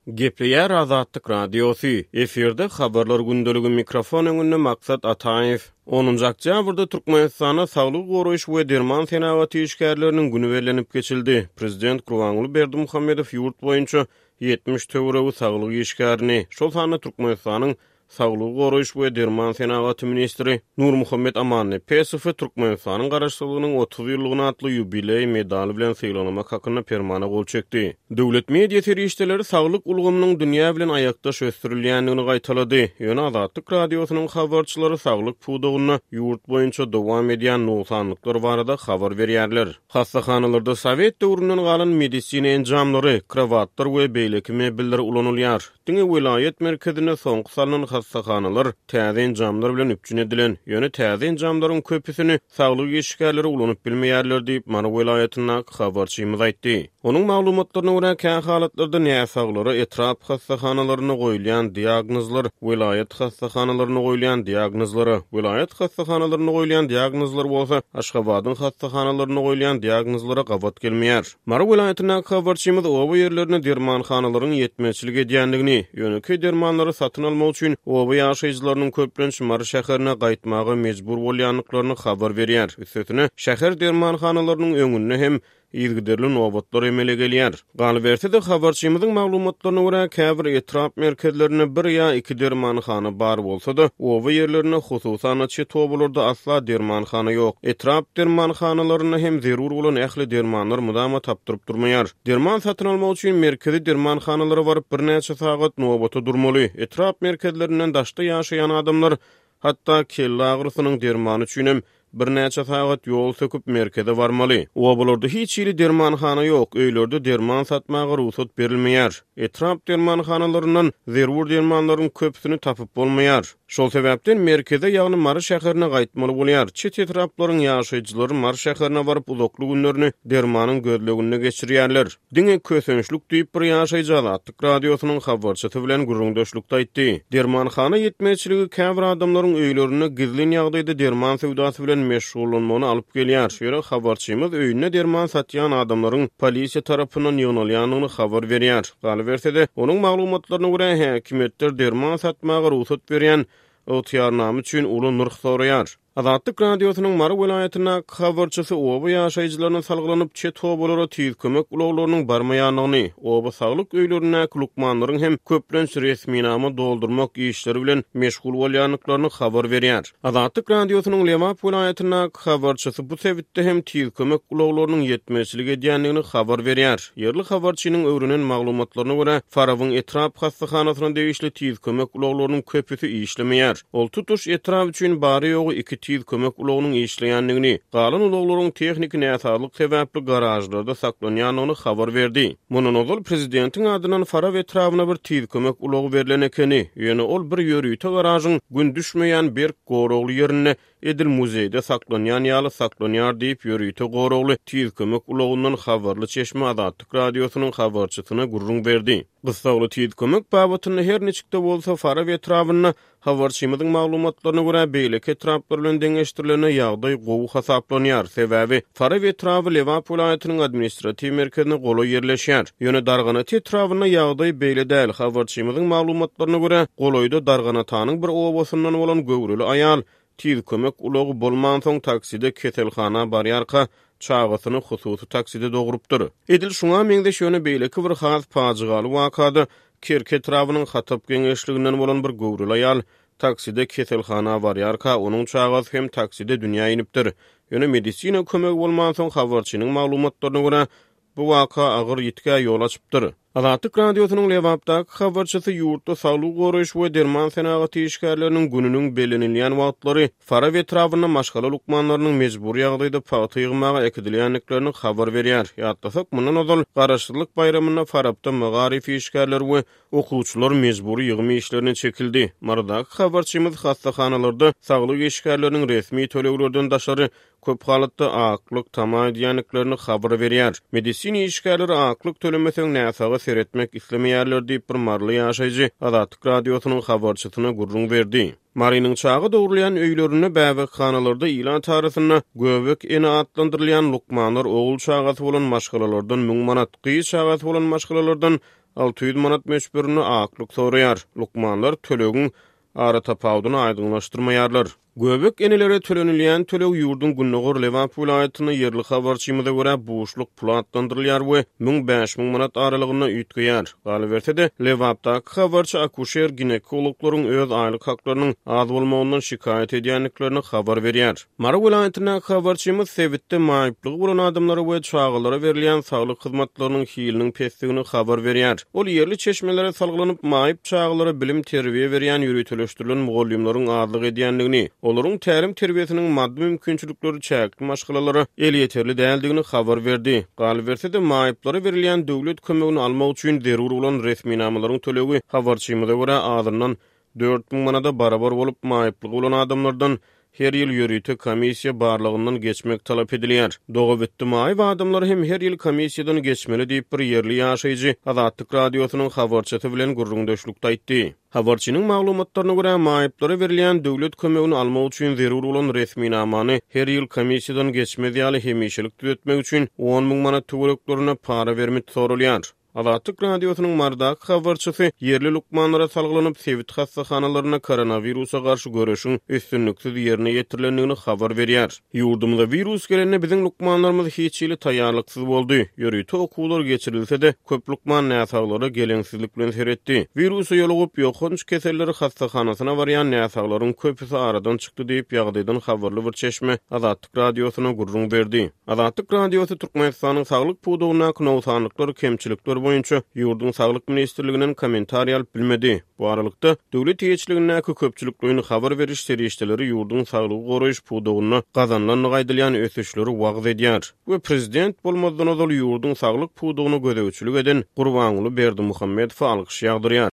Gepleýär Azatlyk Radiosy, efirde Habarlar gündeligi mikrofon öňünde Maksat Ataýew. Onunjy oktýabrda Türkmenistanda Saglygy goraýyş we derman senagaty işgärleriniň güni bellenip geçildi. Prezident Gurbanguly Berdimuhamedow ýurt boýunça 70 töweregi saglyk işgärini, şol sanda Türkmenistanyň Saglygy goraýyş we derman senagaty ministri Nurmuhammet Amannepesowy Türkmenistanyň Garaşsyzlygynyň 30 ýyllygyna atly ýubileý medaly bilen sylaglamak hakynda Permana gol çekdi. Döwlet media serişdeleri saglyk ulgamynyň dünýä bilen aýakdaş ösdürilýändigini gaýtalady. Ýöne Azatlyk Radiosynyň habarçylary saglyk pudagynda ýurt boýunça dowam edýän nogsanlyklar barada habar berýärler. Hassahanalarda sowet döwründen galan medisina enjamlary, krowatlar we beýleki mebeller ulanylýar. Diňe welaýat merkezinde soňky salnan hassahanalar täze enjamlar bilen üpjün edilen. Ýöne täze enjamlaryň köpüsini saglyk işgärleri ulanyp bilmeýärler diýip, Mary welaýatyndaky habarçymyz aýtdy. Onuň maglumatlaryna görä, kä halatlarda näsaglara etrap hassahanalarynda goýulýan diagnozlar welaýat hassahanalarynda goýulýan diagnozlara, welaýat hassahanalarynda goýulýan diagnozlar bolsa Aşgabadyň hassahanalarynda goýulýan diagnozlara gabat gelmeýär. Mary welaýatyndaky habarçymyz oba ýerlerinde dermanhanalaryň ýetmezçilik edýändigini, ýönekeý dermanlary satyn almak üçin oba ýaşaýjylarynyň köplenç Mary şäherine gaýtmaga mejbur bolýandyklaryny habar berýär. Üstesine, şäher dermanhanalarynyň öňünde hem yzygiderli nobatlar emele gelýär. Galyberse-de, habarçymyzyň maglumatlaryna görä, käbir etrap merkezlerinde bir ýa iki dermanhana bar bolsa-da, oba ýerlerinde, hususan-da, çet obalarda asla dermanhana ýok. Etrap dermanhanalarynda hem zerur bolan ähli dermanlar mydama tapdyryp durmaýar. Derman satyn almak üçin merkezi dermanhanalara baryp, birnäçe sagat nobata durmaly. Etrap merkezlerinden daşda ýaşaýan adamlar hatda kelle agyrysynyň dermany üçinem Birnäçe sagat ýol söküp merkeze barmaly. Obalarda hiç hili dermanhana ýok, öýlerde derman satmaga rugsat berilmeýär. Etrap dermanhanalaryndan zerur dermanlaryň köpüsini tapyp bolmaýar. Şol sebäpden merkeze, ýagny Mary şäherine gaýtmaly bolýar. Çet etraplaryň ýaşaýjylary Mary şäherine baryp uzakly günlerini dermanyň gözleginde geçirýärler. Diňe kösençlik diýip, bir ýaşaýjy Azatlyk Radiosynyň habarçysy bilen gürrüňdeşlikde aýtdy. Dermanhana ýetmezçiligi käbir adamlaryň öýlerinde gizlin ýagdaýda derman söwdasy bilen meşgullanmagyna alyp gelýär. Ýöne habarçymyz öýünde derman satýan adamlaryň polisiýa tarapyndan ýygnalýandygyny habar berýär. Galyberse-de, onuň maglumatlaryna görä, häkimiýetler derman satmaga rugsat berýän ygtyýarnama üçin uly nyrh soraýar. Azatlyk Radiosynyň Mary welaýatyndaky habarçysy oba ýaşaýjylaryna salgylanyp, çet obalara tiz kömek ulaglarynyň barmaýandygyny, oba saglyk öýlerindäki lukmanlaryň hem köplenç resminama doldurmak işleri bilen meşgul bolýandyklaryny habar berýär. Azatlyk Radiosynyň Lebap welaýatyndaky habarçysy bu sebitde hem tiz kömek ulaglarynyň ýetmezçilik edýändigini habar berýär. Ýerli habarçynyň öwrenen maglumatlaryna görä, Farabyň etrap hassahanasyna degişli tiz kömek ulaglarynyň köpüsi işlemeýär. Ol tutuş etrap üçin bary-ýogy iki tiz kömek ulagynyň işleýändigini, galan ulaglaryň tehniki näsazlyk sebäpli garažlarda saklanýandygyny habar berdi. Mundan ozal prezidentiň adyndan Farap etrabyna bir tiz kömek ulagy berlen ekeni, ýöne ol bir ýörite garažyň gün düşmeýän berk goragly ýerinde edil muzeýde saklanýan ýaly saklanýar diýip, ýörite goragly tiz kömek ulagyndan habarly çeşme Azatlyk Radiosynyň habarçysyna gürrüň berdi. Gyssagly tiz kömek babatynda her niçik-de bolsa Farap etrabynda, habarçymyzyň maglumatlaryna görä, beýleki etraplar bilen deňeşdirilende ýagdaý gowy hasaplanýar. Sebäbi Farap etraby Lebap welaýatynyň administratiw merkezine golaý ýerleşýär. Ýöne Darganata etrabynda ýagdaý beýle däl. Habarçymyzyň maglumatlaryna görä, golaýda Darganatanyň bir obasyndan bolan göwreli aýal Tiz kömek ulagy bolmansoň takside keselhana barýarka çagasyny hususy takside dogrupdyr. Edil şuňa meňzeş ýöne beýleki bir has pajygaly wakada Kerki etrabynyň Hatap geňeşliginden bolan bir göwreli aýal takside keselhana barýarka onuň çagasy hem takside dünýä inipdir. Ýöne medisina kömegi bolmansoň habarçynyň maglumatlaryna görä Bu waka agyr ýitgä ýol açypdyr. Azatlyk Radiosynyň Lebapdaky habarçysy ýurtda saglygy goraýyş we derman senagaty işgärleriniň gününiň bellenilýän wagtlary Farap etrabynda maşgala lukmanlarynyň mejbury ýagdaýda pagta ýygmaga äkidilýändiklerini habar berýär. Ýatlasak, mundan ozal Garaşsyzlyk baýramynda Farapda magaryf işgärleri we okuwçylar mejbury ýygym işlerine çekildi. Marydaky habarçymyz hassahanalarda saglyk işgärleriniň resmi töleglerden daşary. köp halatda aklyk tama edýändiklerini habar berýär. Medisina işgärleri aklyk tölemeseň näsaga seretmek islemeýärler diýip, bir maryly ýaşaýjy Azatlyk Radiosynyň habarçysyna gürrüň berdi. Marynyň çaga dogrulýan öýlerinde, bäbekhanalarda ilat arasynda Göbek ene atlandyrylýan lukmanlar ogul çagasy bolan maşgalalardan müň manat, gyz çagasy bolan maşgalalardan 600 manat möçberinde aklyk soraýar. Lukmanlar tölegiň aratapawudyny aýdyňlaşdyrmaýarlar. Göbek enelere tölenilýän töleg ýurduň gündogar Lebap welaýatynda ýerli habarçymyza görä buşluk puly atlandyrylýar we müň-bäş müň manat aralygynda üýtgeýär. Galyberse-de, Lebapdaky habarçy akuşer-ginekologlaryň öz aýlyk haklarynyň az bolmagyndan şikaýat edýändiklerini habar berýär. Mary welaýatyndaky habarçymyz sebitde maýyplygy bolan adamlara we çagalara berilýän saglyk hyzmatlarynyň hiliniň pesdigini habar berýär. Ol ýerli çeşmelere salgylanyp, maýyp çagalara bilim-terbiýe berýän ýöriteleşdirilen mugallymlaryň azlyk edýändigini, olaryň tälim-terbiýesiniň maddy mümkinçilikleri çäkli maşgalalara elýeterli däldigini habar berdi. Galyberse-de, maýyplara berilýän döwlet kömegini almak üçin zerur bolan resminamalaryň tölegi, habarçymyza görä, azyndan 4000 manada barabar bolup, maýyplygy bolan adamlardan her ýyl ýörite komissiýa barlagyndan geçmek talap edilýär. Dogabitdi maýyp adamlar hem her ýyl komissiýadan geçmeli diýip, bir ýerli ýaşaýjy Azatlyk Radiosynyň habarçysy bilen gürrüňdeşlikde aýtdy. Habarçynyň maglumatlaryna görä, maýyplara berilýän döwlet kömegini almak üçin zerur bolan resminamany her ýyl komissiýadan geçmez ýaly hemişelik düzetmek üçin 10 müň manat töwereklerinde para bermit soralýar. Azatlyk Radiosynyň Marydaky habarçysy ýerli lukmanlara salgylanyp, sebit hassahanalarynda koronawirusa garşy göreşiň üstünliksiz ýerine ýetirilendigini habar berýär. Ýurdumyza wirus gelende biziň lukmanlarymyz hiç hili taýýarlyksyz boldy. Ýörite okuwlar geçirilse-de, köp lukman näsaglara geleňsizlik bilen seretdi. Wirusa ýolugyp, ýokanç keseller hassahanasyna barýan näsaglaryň köpüsi aradan çykdy diýip, ýagdaýdan habarly bir çeşme Azatlyk Radiosyna gürrüň berdi. Azatlyk Radiosy Türkmenistanyň saglyk pudagyndaky nogsanlyklar, kemçilikler boýunça ýurduň Saglyk ministrliginden kommentariý alyp bilmedi. Bu aralykda, döwlet eýeçiligindäki köpçülikleýin habar beriş serişdeleri ýurduň saglygy goraýyş pudagynda gazanylandygy aýdylýan ösüşleri wagyz edýär we prezident bolmazdan ozal ýurduň saglyk pudagyna gözegçilik eden Gurbanguly Berdimuhamedowa alkyş ýagdyrýar.